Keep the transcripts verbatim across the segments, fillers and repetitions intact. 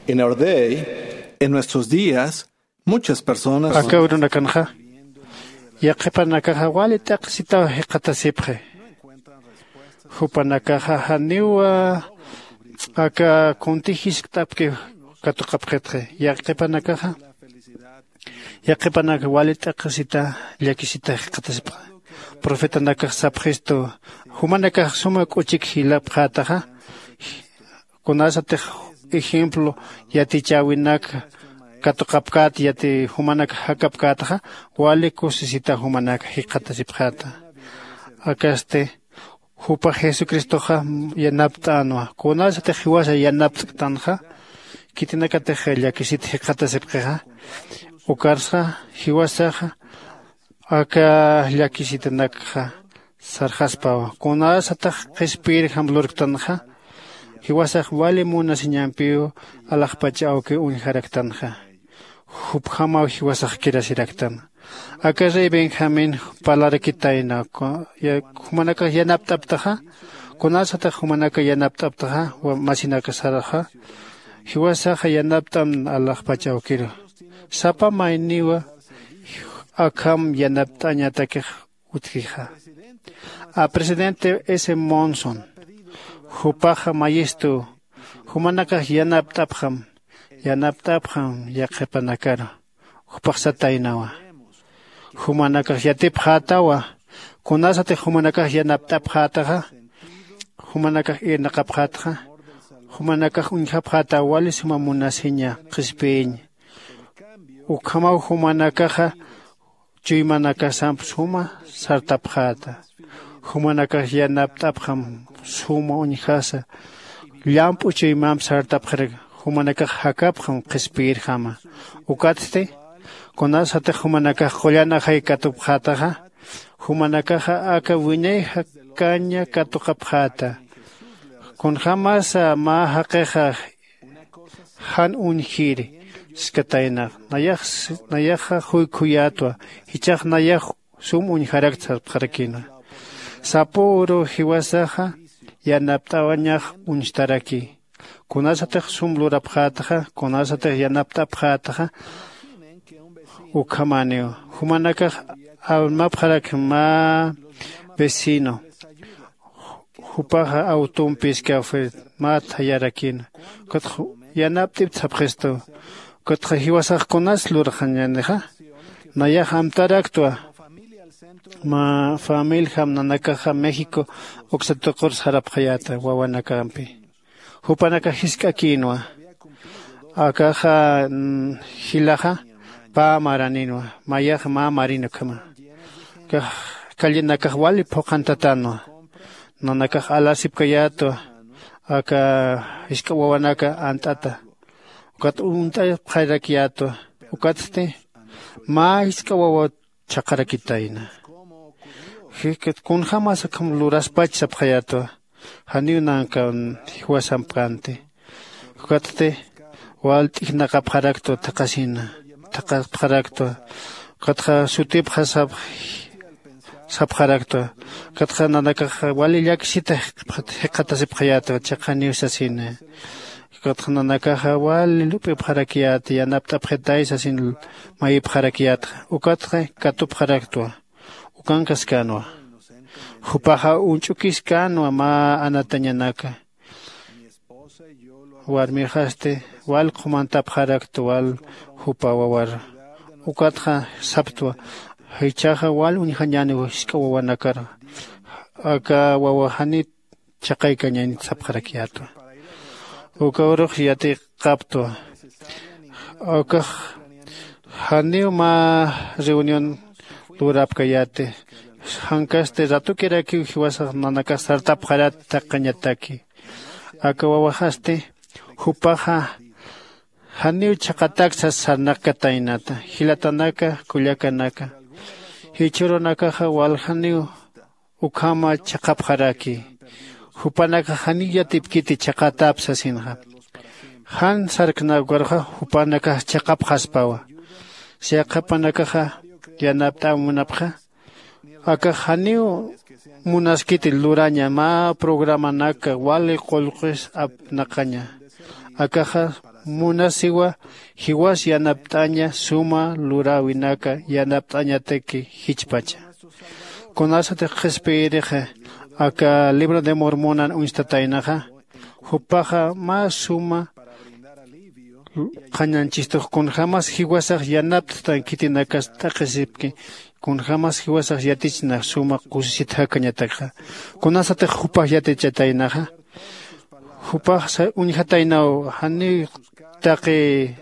En our day, en nuestros días, muchas personas aka urunakanxa yaqhipanakaxa wali t'aqsitaw jikxatasipxi. Jupanakaxa janiw aka kunti jiskt'apki katuqapxitxi. Yaqhipanakaxa yaqhipanak wali t'aqsita llakisita jikxatasipxi. Profetanakax sapxistu jumanakax suma k'uchik jilapxätaxa, kunasatix ejemplo yatichäwinak katuqapkät yati jumanak jakapkätaxa, wali kusisita jumanak jikxatasipxäta. Akasti jupax jesucristoxa yanapt'änwa. Kunasatix jiwasa yanapt'ktanxa khitinakatix llakisit jikxatasipxixa, ukarsa jiwasaxa aka llakisitanakxa sarxaspawa. Kunasatax qhispiyirjam lurktanxa, jiwasax wali munasiñampiw alaxpach awkiw uñjaraktanxa. Jupjamaw jiwasax kirasiraktan. Aka rey benjamín parlarakitayna, jumanakax yanapt'aptaxa, kunasatax jumanakax yanapt'aptaxa, masinakasaraxa jiwasaxa yanapt'am alaxpach awkiru. Sapa mayniwa akham yanapt'añatakix utjixa. A presidente s monson jupaxa mayistu, jumanakax yanapt'apxam yanapt'apxam yaqhipanakaru. Jupax sataynawa, jumanakax yatipxätawa. Kunasatix jumanakax yanapt'apxätaxa, jumanakax irnaqapxätaxa, jumanakax uñjapxätaw wali suma munasiña qhispiyiñ. Ukhamaw jumanakaxa chuymanakasamp suma sartapxäta. Jumanakax yanapt'apxam suma uñjasa llamp'u chuymamp sartapxarak. Jumanakax jakapxam qhispiyirjama. Ukatsti kunasatix jumanakax qullan ajay katupxätaxa, jumanakaxa aka wiñay jakaña katuqapxäta. Kunjämasa mä jaqixa jan uñjiri, jiskataynax nayax nayaxa juykhuyätwa, jichhax nayax sum uñjarakta sarpxarakïnwa. Sapu uru jiwasaxa yanapt'awañax uñstaraki. Kunasatix sum lurapxätaxa, kunasatix yanapt'apxätaxa, ukhamäniw jumanakax armapxarak mä vecino, jupaxa awtumpiskaw mä thayarakïna. Ukatxa yanapt'ipta sapxistu. Ukatxa jiwasax kunas lurxañänixa, nayax amtaraktwa. Mä familjam nanakaxa méxico uksa tuqur sarapxayäta wawanakampi. Jupanakax jisk'akïnwa, akaxa jilaxa pä maraninwa, mayax mä marin ukhama. Akax callenakax wali phuqhantatänwa. Nanakax alasipkayätwa aka jisk'a wawanaka ant'ata. Ukat unt'apxarakyätwa. Ukatsti mä jisk'a wawa chhaqharakitayna. Jikat kunjämas akham luraspach sapxayätwa. Janiw nankan jiwasamp kanti. Ukatsti wal t'ijnaqapxaraktwa thaqhasina, thaqhapxaraktwa. Ukatxa sutipxa sapxaraktwa. Ukatxa nanakax wali llakisita jikxatasipxayätwa, chiqaniw sasina. Ukatxa nanakaxa wali lup'ipxarakyäta, yanapt'apxitay sasin mayipxarakyätxa. Ukatxa katupxaraktwa. Ukankaskänwa. Jupaxa uñch'ukiskänwa mä anatañanaka. Warmixasti wal qhumantapxarakta wal jupa wawar. Ukatxa saptwa, jichhaxa wal uñjañäniw jisk'a wawanakar. Aka wawa janit chhaqaykañañt sapxarakyätwa. Uka urux yatiqaptwa. Ukax janiw mä reunión lurapkayäti. Jankasti ratukirakiw jiwasax nanakax sartapxarat thaqhañataki. Aka wawaxasti jupaxa janiw chhaqatak sas sarnaqkataynata. Jilatanaka, kullakanaka, jichhürunakaxa waljaniw ukhama chhaqhapxaraki. Jupanakax janiw yatipkiti chhaqhatap sasinxa. Jan sarkna ukarxa jupanakax chhaqhapxaspawa. Yaqhipanakaxa yanapt'äw munapxa, akax janiw munaskiti luraña mä programanaka wali qullqis apnaqaña. Akaxa munasiwa jiwas yanapt'aña suma luräwinaka yanapt'añataki jichpacha. Kunasatix qhispiyirixa aka libro de mormonan uñstataynaxa, jupaxa mä suma qhañanchistux kunjämas jiwasax yanapt'tan khitinakas t'aqhisipki, kunjämas jiwasax yatichna suma kusisit jakañatakxa. Kunasatix jupax yatichataynaxa, jupax uñjataynaw janiw taqi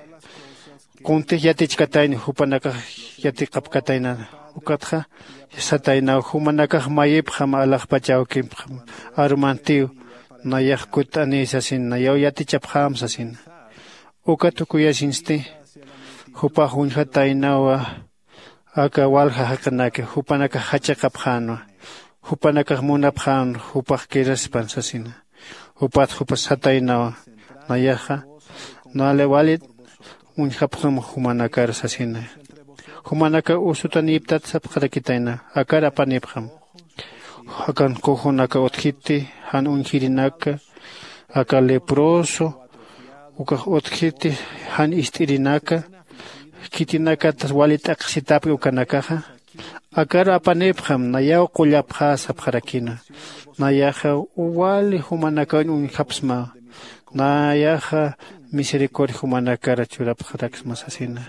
kuntix yatichkatayni jupanakax yatiqapkatayna. Ukatxa sataynaw jumanakax mayipxam alaxpach awkipxam arumantiw, nayax kutt'aniy sasin nayaw yatichapxäm sasina. Uka tukuyasinsti jupax uñjataynawa aka walja jaqinaki jupanakax jachaqapxänwa, jupanakax munapxän jupax kiraspan sasina. Jupat jupa sataynawa nayaxa nale walit uñjapxam jumanakar sasina. Jumanaka usutanïptat sapxarakitayna akar apanïpxam. Akan kujunaka utjiti jan uñjirinaka, aka leproso ukax utjiti jan ist'irinaka, khitinakatas wali t'aqhisitapki ukanakaxa, akar apanïpxam nayaw qullapxä sapxarakina. Nayaxa wali jumanakaw uñjapsma, nayaxa misericordia jumanakar churapxaraksma sasina.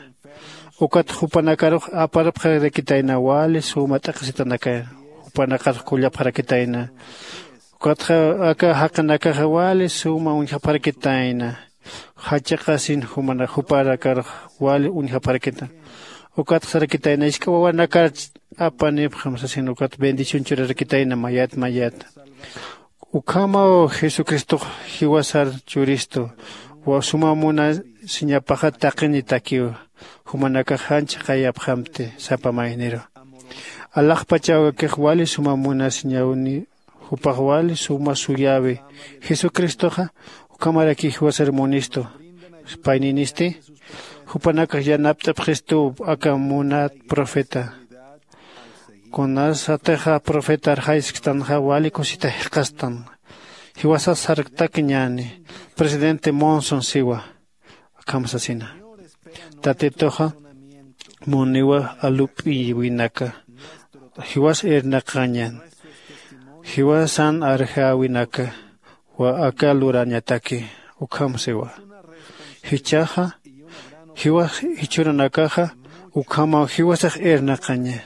Ukat jupanakarux aparpxarakitayna wali suma t'aqhisitanakar, jupanakar qullapxarakitayna. Ukatxa aka jaqinakaxa wali suma uñjapxarakitayna. Jachaqasin jupanakarux wali uñjapxarakita. Ukatxa sarakitayna isk'a wawanakar apanipxam sasin ukat bendición churarakitayna mayat mayat. Ukhamaw jesucristox jiwasar churistu, suma munasiñapaxa taqinitakiw. Jumanakax jan chhaqayapxamti sapa mayniru. Alaxpachawkix wali suma munasiñawni, jupax wali suma suyäwi. Jesucristoxa ukhamaraki jiwasar munistu. Payninisti jupanakax yanapt'apxistuw aka munat profeta. Kunasatixa profetar jaysktanxa wali kusita jikxastan. Jiwasas sarktakiñäni. Presidente monson siwa akham sasina. Tatituxa muniwa alup'iwinaka jiwas irnaqañan, jiwasan arjäwinaka wa aka lurañataki. Ukham siwa jichhaxa jiwas jichhürunakaxa ukhamaw jiwasax irnaqaña.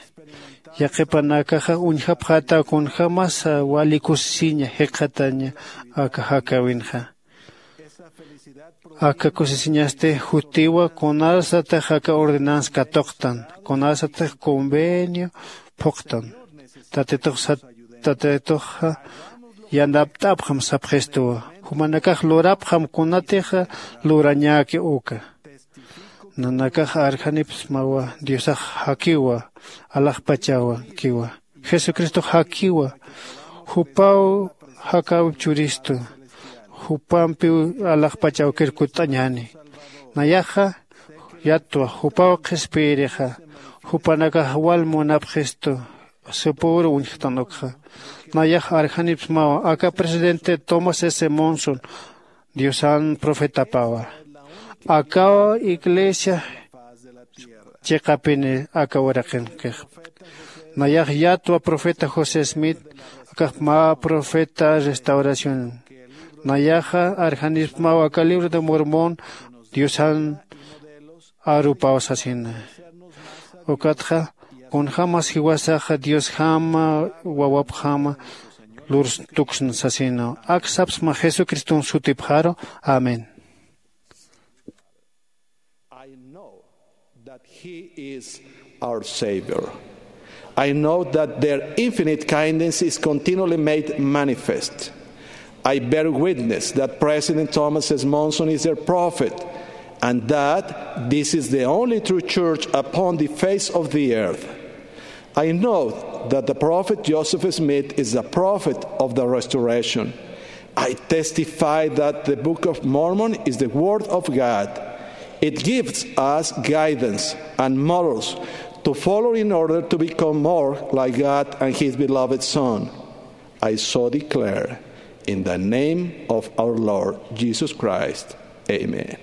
Yaqhipanakaxa uñjapxätaw kunjämasa wali kusisiña jikxataña aka jakäwinxa. Aka kusisiñasti jutiwa kunasatix aka ordenanza katuqtan, kunasatix convenio phuqtan. Tatitux sat tatituxa yanapt'apxam sapxistuwa. Jumanakax lurapxam kunatixa lurañäki uka. Nanakax arjanipsmawa diosax jakiwa alaxpachawakiwa. Jesucristox jakiwa. Jupaw jakäwip churistu. Jupampiw alaxpach awkir kutt'añäni. Nayaxa yatwa jupaw qhispiyirixa. Jupanakax wal munapxistu. Supüru uñjktan ukxa. Nayax arjanipsmawa aka presidente tomás s monson diosan profetapawa. Akaw iglesia chiqapini aka uraqinkix. Nayax yatwa profeta josé smith. Akax mä profeta restauración. Nayaxa arjanipsmaw aka libro de mormón diosan arupaw sasina. Ukatxa kunjämas jiwasaxa diosjama wawapjama lurstuksna sasina. Ak sapsma jesucriston sutipxaru. Amén. I know that He is our Savior. I know that their infinite kindness is continually made manifest. I bear witness that President Thomas S. Monson is their prophet and that this is the only true church upon the face of the earth. I know that the prophet Joseph Smith is the prophet of the restoration. I testify that the Book of Mormon is the Word of God. It gives us guidance and models to follow in order to become more like God and His beloved Son. I so declare in the name of our Lord Jesus Christ. Amen.